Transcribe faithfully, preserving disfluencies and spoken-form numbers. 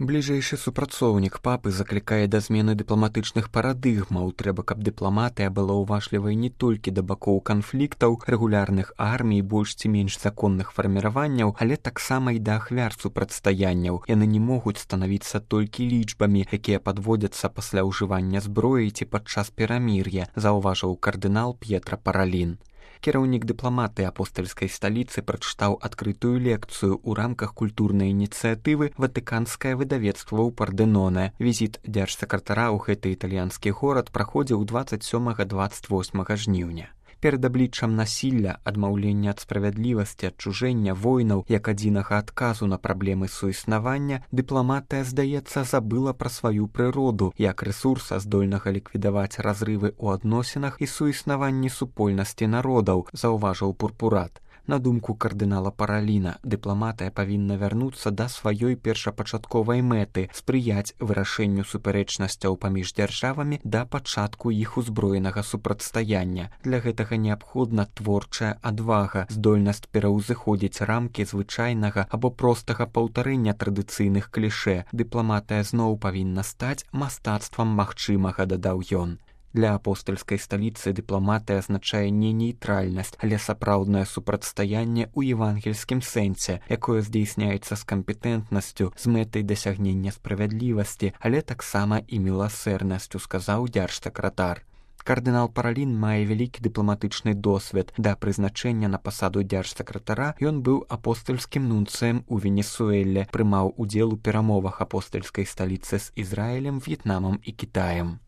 Бліжэйшы супрацоўнік папы заклікае да змены дыпламатычных парадыгмаў. Трэба, каб дыпламатыя была ўважлівай не толькі да бакоў канфліктаў, рэгулярных армій, больш ці менш законных фарміраванняў, але таксама і да ахвяр супрацьстаянняў. Яны не могуць станавіцца толькі лічбамі, якія падводзяцца пасля ўжывання зброі ці падчас перамір'я, заўважыў кардынал П'етра Паралін. Кіраўнік дыпламатыі апостальскай сталіцы прачытаў адкрытую лекцыю ў рамках культурнай ініцыятывы «Ватыканскае выдавецтва ў Пардэнонэ». Візіт дзяржсакратара ў гэты італьянскі горад праходзіў дваццаць сёмага - дваццаць восьмага жніўня. Перад абліччам насілля, адмаўлення ад справядлівасці, адчужэння, войнаў як адзінага адказу на праблемы суіснавання, дыпламатыя, здаецца, забыла пра сваю прыроду як рэсурса, здольнага ліквідаваць разрывы ў адносінах і суіснаванні супольнасці народаў, заўважыў Пурпурат. На думку кардынала Параліна, дыпламатыя павінна вярнуцца да сваёй першапачатковай мэты, спрыяць вырашэнню супярэчнасцяў паміж дзяржавамі да пачатку іх узброенага супрацьстаяння. Для гэтага неабходна творчая адвага, здольнасць пераўзыходзіць рамкі звычайнага або простага паўтарэння традыцыйных клішэ. Дыпламатыя зноў павінна стаць мастацтвам магчымага, дадаў ён. Для апостальскай сталіцы дыпламатыя азначае не нейтральнасць, але сапраўднае супрацьстаянне ў евангельскім сэнсе, якое здзейсняецца з кампетэнтнасцю, з мэтай дасягнення справядлівасці, але таксама і міласэрнасцю, сказаў дзяржсакратар. Кардынал Паралін мае вялікі дыпламатычны досвед. Да прызначэння на пасаду дзяржсакратара ён быў апостальскім нунцыем у Венесуэле, прымаў удзел у перамовах апостальскай сталіцы з Ізраілем, В'етнамам і Кітаем.